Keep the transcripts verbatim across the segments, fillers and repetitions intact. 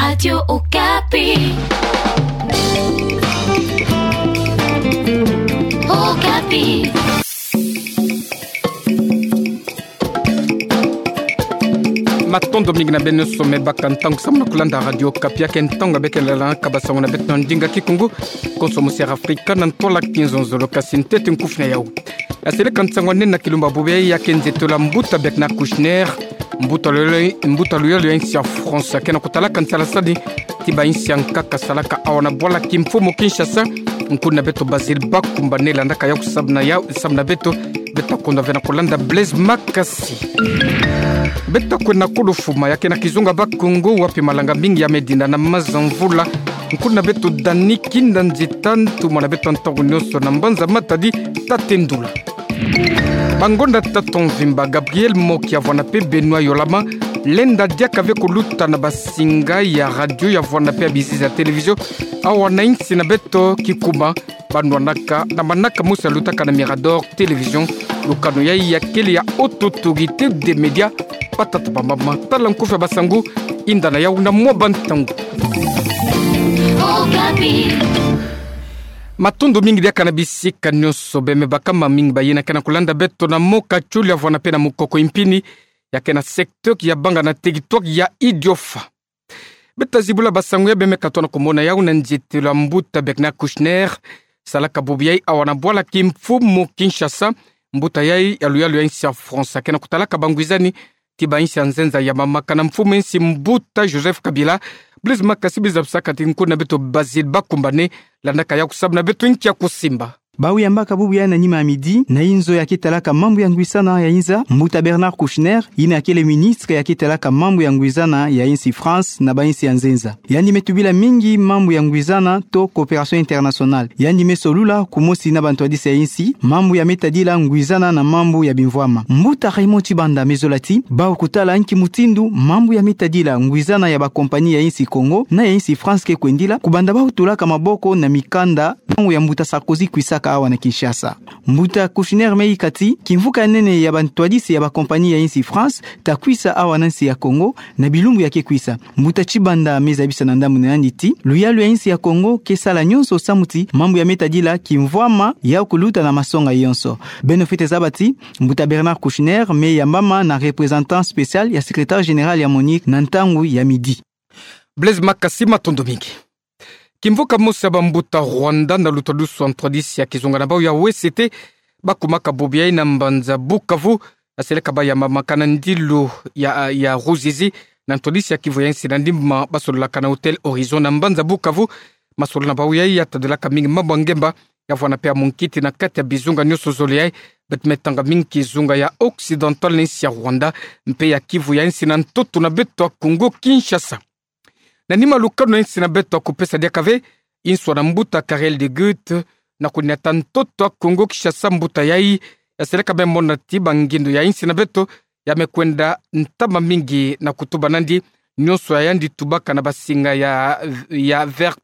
Radio Okapi. Okapi. Matondo mingi na beno nyonso me baka ntangu samu na kulanda Radio Okapi, ya ke ntangu ya beke lala ka basango na beto na ndinga kikungu, konso mosi ya Afrika na ntwala kizonzolo, kasi ntete nkufi na yau. Yaseleka nsangu ya nene na kilumbu bubu ya ke nzietolo ya mbuta Bernard Kouchner, mbuta luyalu, mbuta luyalu ya insi ya France, ya ke na kutalaka nsalasani ti bainsi ya nkaka salaka awa na bwala kimfumu Kinshasa. Nkuna beto Basile Bakumbane landaka yau samu na yau, samu na beto, beto kondwa ve na kulanda Blaise Makasi. Beto kwenda kulu fuma, ya ke na kizunga Bakongo, wapi malanga mingi ya me dinda na maza mvula. Nkuna beto Dani Kinda Nzita, ntumwa na beto ntangu nyonso na mbanza matadi, Tate Ndula. Bangonda tata mvimba, Gabriel Mokia, vwana mpe Benoît Yolama, lenda diaka ve kuluta na basinga ya radio, ya vwana mpe ya bizizi ya télévision awa na insi na beto kikuma, banwanaka na manaka mosi ya lutaka na Mirador Télévision. Lukanu yai ya kele ya Autorité des Médias. Batata, bamama, tala nkufi ya basangu, inda na yau na mwa bantangu. Matondo mingi diaka na bisika nyonso, beno me baka mingi bayina ke na kulanda beto na Mokachuli ya vwana mpe na Mukoko Impini, ya ke na secteur Kiabanga na territoire ya Idiofa. Beto zibula basangu ya beno me katono kumona yau na nzietolo ya mbuta Bernard Kouchner, salaka bubu yai awa na bwala kimfumu Kinshasa. Mbuta yai ya luyalu ya insi ya France, ya ke na kutalaka bangwizani ti bainsi ya nzenza ya mama kana mfumu insi mbuta Joseph Kabila. Blaise Makasi, biza bisaka ti nkuna beto Basile Bakumbane landaka yau samu na beto nki ya kusimba. Bau yambaka bubu yai na nima ya midi, na inzo ya ke talaka mambu ya ngwisana ya inza, mbuta Bernard Kouchner, yina ya kele ministre ya ke talaka mambu ya ngwisana ya insi France na bainsi ya nzenza. Yandi me tubila mingi mambu ya ngwisana to coopération internationale. Yandi me solula kumosi na bantwadisi ya insi mambu ya me tadila ngwisana na mambu ya bimvwama. Mbuta Raymond Tshibanda me zola ti, bau kutala nki mutindu mambu ya me tadila ngwisana ya bakompani ya insi Congo na ya insi France ke kwendila, kubanda bau tulaka maboko na mikanda ntangu ya mbuta Sarkozy kwisaka awa na Kinshasa. Mbuta Kouchner me yika ti, kimvuka ya nene ya bantwadisi ya bakompani ya insi France ta kwisa awa na nsi ya Congo na bilumbu ya ke kwisa. Mbuta Tshibanda me zabisa na ndambu na yandi ti, luyalu ya insi ya Congo ke sala nyonso samu ti mambu ya me tadila kimvwama yau kuluta na masonga yonso. Beno fwete zaba ti, mbuta Bernard Kouchner me yambama na représentant spécial ya secrétaire général ya MONUC na ntangu ya midi. Blaise Makasi, matondo mingi. Kimvuka mosi ya bambuta Rwanda na lutadusu ya ntwadisi ya kizunga na bau ya O S C T, bakumaka bubu yai na mbanza Bukavu, yaseleka bayambamaka na ndilu ya, ya Ruzizi, na ntwadisi ya kivu ya insi na ndimbu ma basololaka na Hôtel Horizon na mbanza Bukavu. Masolo na bau yai ya tadilaka mingi mambu ya ngemba, ya vwana mpe ya munkiti na kati ya bizunga nyonso zole yai. Beto me tanga mingi kizunga ya Occidental na insi ya Rwanda, mpe ya kivu ya insi na ntoto na beto ya Congo Kinshasa. Na nima lukanu ya insi na beto ya kupesa diaka ve nswa na mbuta Karel de Gucht, na kuniata ntoto ya Congo Kinshasa, mbuta yai yaseleka me mona ti bangindo ya insi na beto ya me kwenda ntama mingi na kutuba nandi, nyonso ya yandi tubaka na basinga ya, ya Vert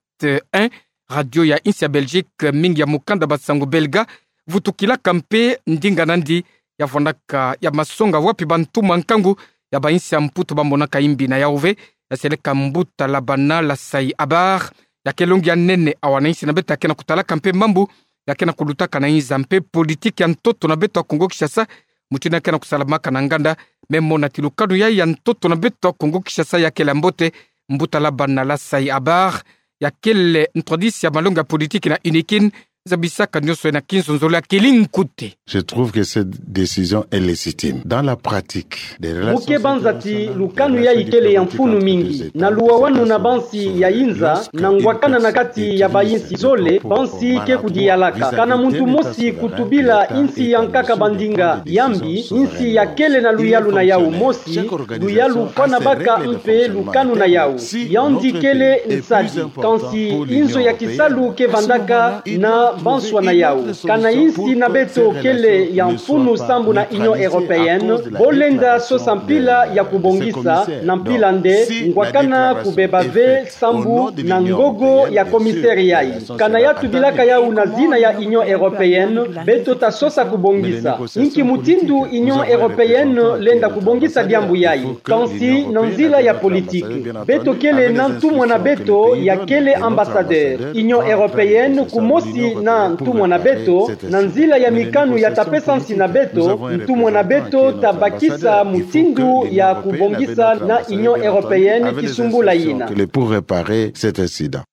un, radio ya insi ya Belgique, mingi ya mukanda basangu belga, vutukilaka mpe ndinga nandi ya vwanaka ya masonga wapi bantumwa nkangu ya bainsi ya Mputu bamonaka imbi na yau ve, yaseleka mbuta Labana Lasai Abar, ya ke longi ya nene awa na insi na beto ya ke na kutalaka mpe mambu ya ke na kulutaka na inza mpe politique ya ntoto na beto ya Congo Kinshasa, mutindu ya ke na kusalamaka na nganda. Me mona ti lukanu yai ya ntoto na beto ya Congo Kinshasa ya kele ya mbote, mbuta Labana Lasai Abar, ya kele ntwadisi ya malongi ya politique na UNIKIN, zabisaka nyonso yai na kizonzolo ya kili nkute. Je trouve que cette décision est légitime. Dans la pratique, des relations... Mu ke banza ti lukanu yai kele ya mfunu mingi na luwawanu na bansi ya inza, na ngwakana na kati ya bainsi zole, bansi ke kudiyalaka. Kana muntu mosi kutubila insi ya nkaka bandinga ya mbi, insi ya kele na luyalu na yau mosi, luyalu fwana baka mpe lukanu na yau. Yandi kele nsadi, kansi inzo ya kisalu ke vandaka na banswa na yau. Kana insi na beto kele Kele ya mfunu sambu na Union Européenne, bo lenda sosa mpila ya kubongisa, na mpila nde, ngwakana kubeba ve sambu na ngogo ya commissaire yayi. Kana ya tubilaka yawu na zina ya Union Européenne, beto ta sosa kubongisa. Inki mutindu Union Européenne lenda kubongisa diambu yayi? Kansi na nzila ya politique. Beto kele na ntumwa na beto ya kele ambassadeur. Union Européenne kumosi na ntumwa na beto, na nzila ya mikanu ya ta pesa nsi na beto, ntumwa na beto ta bakisa mutindu ya kubongisa na Union Européenne kisumbula yina. Pour réparer cet incident.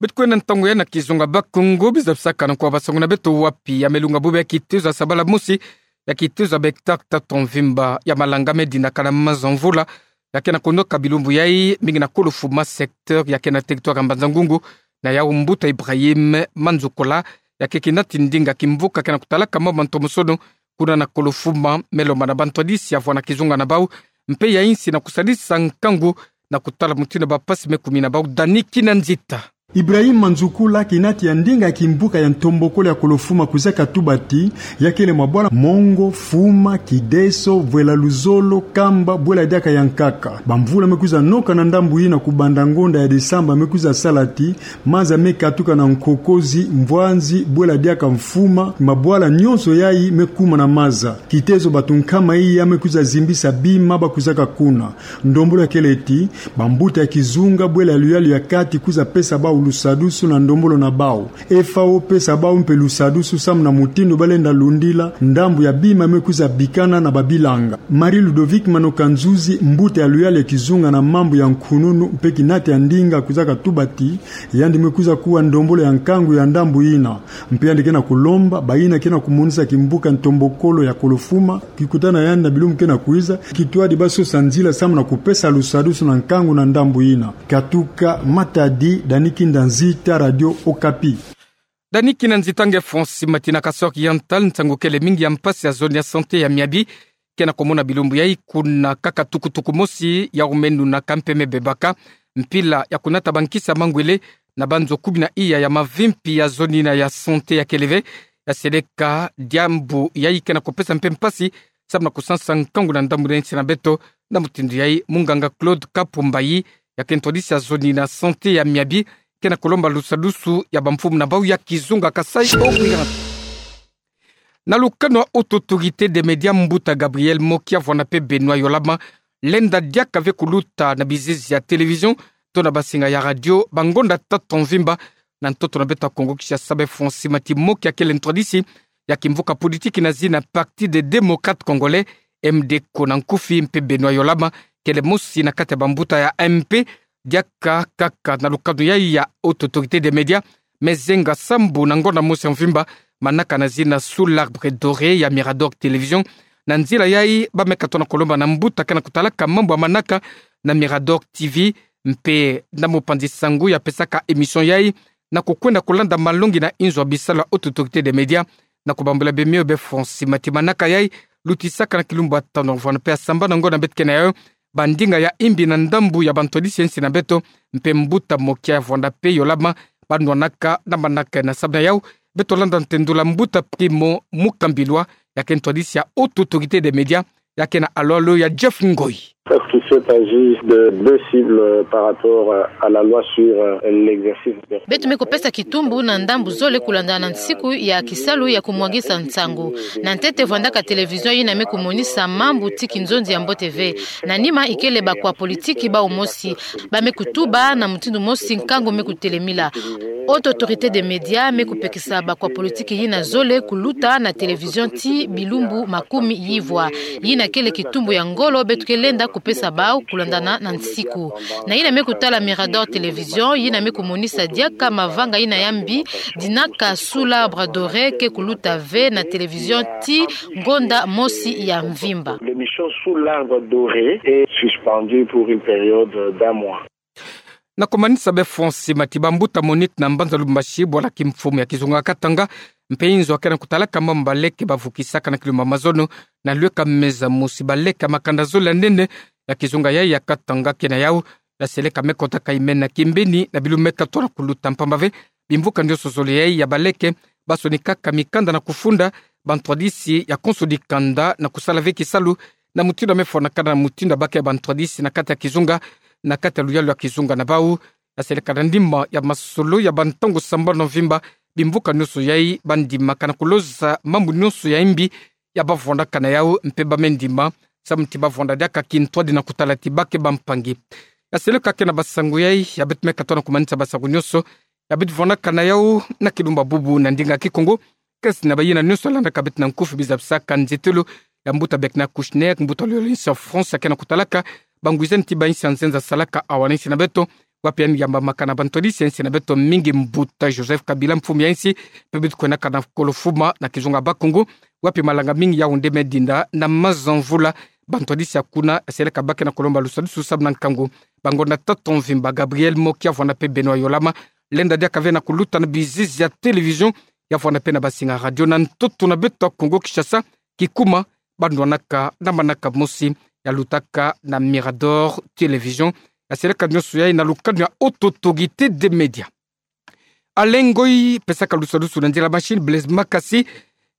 Beto kwenda ntangu ya na kizunga Bakongo, biza bisakana kwa basanguna beto wapi ya melunga bube ya kitezo ya sabala mosi, ya kitezo ya b'hectare tatu mvimba ya malanga me dinaka na maza mvula, ya ke na konoka bilumbu yayi, mingi na Kolofuma secteur, ya ke na territoire ya Mbanza-Ngungu, na yawu mbuta Ibrahim Manzukula, ya ke kinati ndinga kimvuka ke na kutalaka mambu ma ntomosono, kuna na Kolofuma, me lomba na bantwadisi ya vwanda kizunga na bawu, mpe ya insi na kusadisa nkangu, na kutala mutindu ba mpasi me kumina bawu. Dani Kinanzita. Ibrahim Manzukula, kinati ya ndinga kimvuka ya ntombokolo ya Kolofuma, kwiza katuba ti, ya kele mabwala Mongo, Fuma, Kideso, Vwela Luzolo, Kamba, bwela diaka ya nkaka. Bamvula me kwiza noka na ndambu yina kubanda ngonda ya desamba me kwiza sala ti, maza me katuka na Nkokozi, Mvwanzi, bwela diaka Mfuma, mabwala nyonso yayi me kuma na maza. Kitezo bato nkama iya me kwiza zimbisa bima ba kwizaka kuna. Ndombolo ya kele ti, bambuta ya kizunga bwela ya luyalu ya kati kwiza pesa bawu lusadusu na ndombolo na bawu. F A O pesa bawu mpe lusadusu samu na mutindu ba lenda lundila ndambu ya bima me kwiza bikana na babilanga. Marie Ludovic Manoka Nzuzi, mbuta ya luyalu ya kizunga na mambu ya nkununu mpe kinati ya ndinga, kwiza katuba ti, yandi me kwiza kuwa ndombolo ya nkangu ya ndambu yina. Mpe yandi ke na kulomba bayina ke na kumonisa kimvuka ntombokolo ya Kolofuma, kikutana yandi na bilumbu ke na kwiza, kitwadi ba sosa nzila samu na kupesa lusadusu na nkangu na ndambu yina. Katuka Matadi, Dani Kinanzita, Radio Okapi. Dani Kinanzita. Nge Francis Mati. Na Kasaï Oriental, nsangu kele mingi ya mpasi ya zone ya santé ya Miabi ke na komona bilumbu yayi kuna kaka tukutuku mosi ya umenu na kampe me bebaka mpila ya kunata bankisi ya mangwele na banzo kumi na iya ya mavimpi ya zone yina ya santé ya kele ve. Ya seleka diambu yayi ke na kupesa mpe mpasi samu na kusansa nkangu na ndambu na insi na beto. Na mutindu yayi, munganga Claude Kapumbayi, ya ke ntwadisi ya zone yina santé ya Miabi, ke na kulomba lusadusu ya bamfumu na bawu ya kizunga Kasaï Oriental. Na lukanu ya Haute Autorité des Médias, mbuta Gabriel Moki ya vwanda mpe Benoît Yolama, lenda diaka ve kuluta na bizizi ya télévision to na basinga ya radio bangonda tatu mvimba na ntoto na beto ya Kongo Kinshasa. Be Francis Mati, Moki ya kele ntwadisi ya kimvuka politiki na zina Parti des Démocrates Congolais, M D C O na nkufi, mpe Benoît Yolama, kele mosi na kati ya bambuta ya M P, diaka kaka na lukanu yayi ya Haute Autorité des Médias, me zenga sambu na ngonda mosi ya mvimba manaka na zina Sous l'Arbre Doré ya Mirador Télévision. Na nzila yayi, ba me katona kulomba na mbuta ke na kutalaka mambu ya manaka na Mirador T V, mpe na mopanzi sango ya pesaka émission yayi, na kukwenda kulanda malongi na inzo ya bisalu ya Haute Autorité des Médias, na kubambula bemio be Francis Mati, manaka yayi lutisaka na kilumbu ya tanu vwanda mpe ya sambana ngonda beto ke na yayo, bandinga ya imbi na ndambu ya bantwadisi ya insi na beto, mpe mbuta Moki ya vwanda mpe Yolama, banwanaka na manaka na sabana yawu. Beto landa ntendula mbuta Primo Mukambilwa, ya ke ntwadisi ya Haute Autorité des Médias, ya ke na alo-alo ya Jeff Ngoi. Parce qu'il s'agit de deux cibles par rapport à la loi sur, euh, l'exercice des... Beto me kupesa kitumbu na ndambu zole kulandana na nsiku ya kisalu ya kumwangisa nsangu. Na ntete vwandaka télévision yina me kumonisa mambu ti kinzonzi ya mbote ve. Na nima ikele bakwa politiki bawu mosi. Ba me kutuba na mutindu mosi nkangu me kutelemila. Haute Autorité des Médias me kupekisa bakwa politiki yina zole kuluta na télévision ti bilumbu makumi yivwa. Yina kele kitumbu ya ngolo beto ke lenda kupesa bawu kulandana na nsiku. Na yina me kutala Mirador Télévision, yina me kumonisa diaka mavanga yina ya mbi, dinaka Sous l'Arbre Doré ke kuluta ve na télévision ti ngonda mosi ya mvimba. L'émission Sous l'Arbre Doré est suspendue pour une période d'un mois. Na kumanisa be Francis Mati, bambuta Monique na mbanza Lubumbashi, bwala kimfumu ya kizunga Katanga, mpe inzo ya ke na kutalaka mambu baleke bavukisaka na kilumbu ya mazono, na lweka meza mosi baleke ya makanda zole ya nene ya kizunga yayi ya Katanga ke na yawu, ya seleka me kotaka imena kimbini na bilumbu me katona kuluta mpamba ve bimvuka nyonso zole yayi ya baleke basonika ka mikanda na kufunda bantwadisi ya konso dikanda na kusala ve kisalu na mutindu ya mefwanakana, na mutindu ya baka bantwadisi na kati ya kizunga, na kati ya luyalu ya kizunga na bau. Yaseleka na ndimba ya masolo ya bantangu sambanu mvimba, bimvuka nyonso yai bandimaka na kuloza mambu nyonso ya mbi ya bavwanaka na yau, mpe bamendima samu ti bavwanda diaka kintwadi na kutala ti baka bampangi. Yaseleka ke na basangu yai, ya beto me katoa na kumanisa basangu nyonso ya beto vwanaka na yau na kilumbu bubu na ndinga Kikongo. Kansi na bayina nyonso ya landaka beto na nkufi, biza bisaka nzietolo ya mbuta Bernard Kouchner, mbuta lolo ya insi ya France, ya ke na kutalaka bangwizani ti bainsi ya nzenza salaka awa na insi na beto, wapi yandi yambamaka na bantwadisi ya insi na beto mingi, mbuta Joseph Kabila, mfumu ya insi, mpe beto kwenaka na kolo fuma na kizunga Bakongo, wapi malanga mingi yau nde medinda na maza mvula. Bantwadisi ya kuna, yaseleka baka na kulomba lusadusu samu na nkangu. Bangonda tatu mvimba, Gabriel Mokia, vwanda mpe Benoît Yolama, lenda diaka ve na kuluta na bizizi ya télévision, ya vwanda mpe na basinga radio na ntoto na beto ya Kongo Kinshasa, kikuma bandwanaka na manaka mosi, yalutaka na Mirador Télévision. Yaseleka nyonso yai na lukanu ya Haute Autorité des Médias. Alain Ngoyi pesaka lusadusu na nzila machine, Blaise Makasi,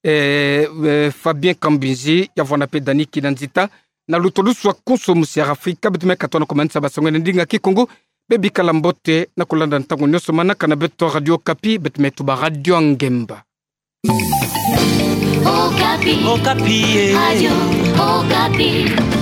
eh, eh, Fabien Kambinzi, ya vwanda mpe Dani Kinanzita, na lutadusu ya konso musi ya Afrika. Beto me katoa na kumanisa basangu na ndinga Kikongo. Bebikala mbote na kulanda ntangu nyonso manaka na beto Radio Okapi, beto me tuba Radio Ngemba. Okapi. Okapi, eh. Radio Okapi.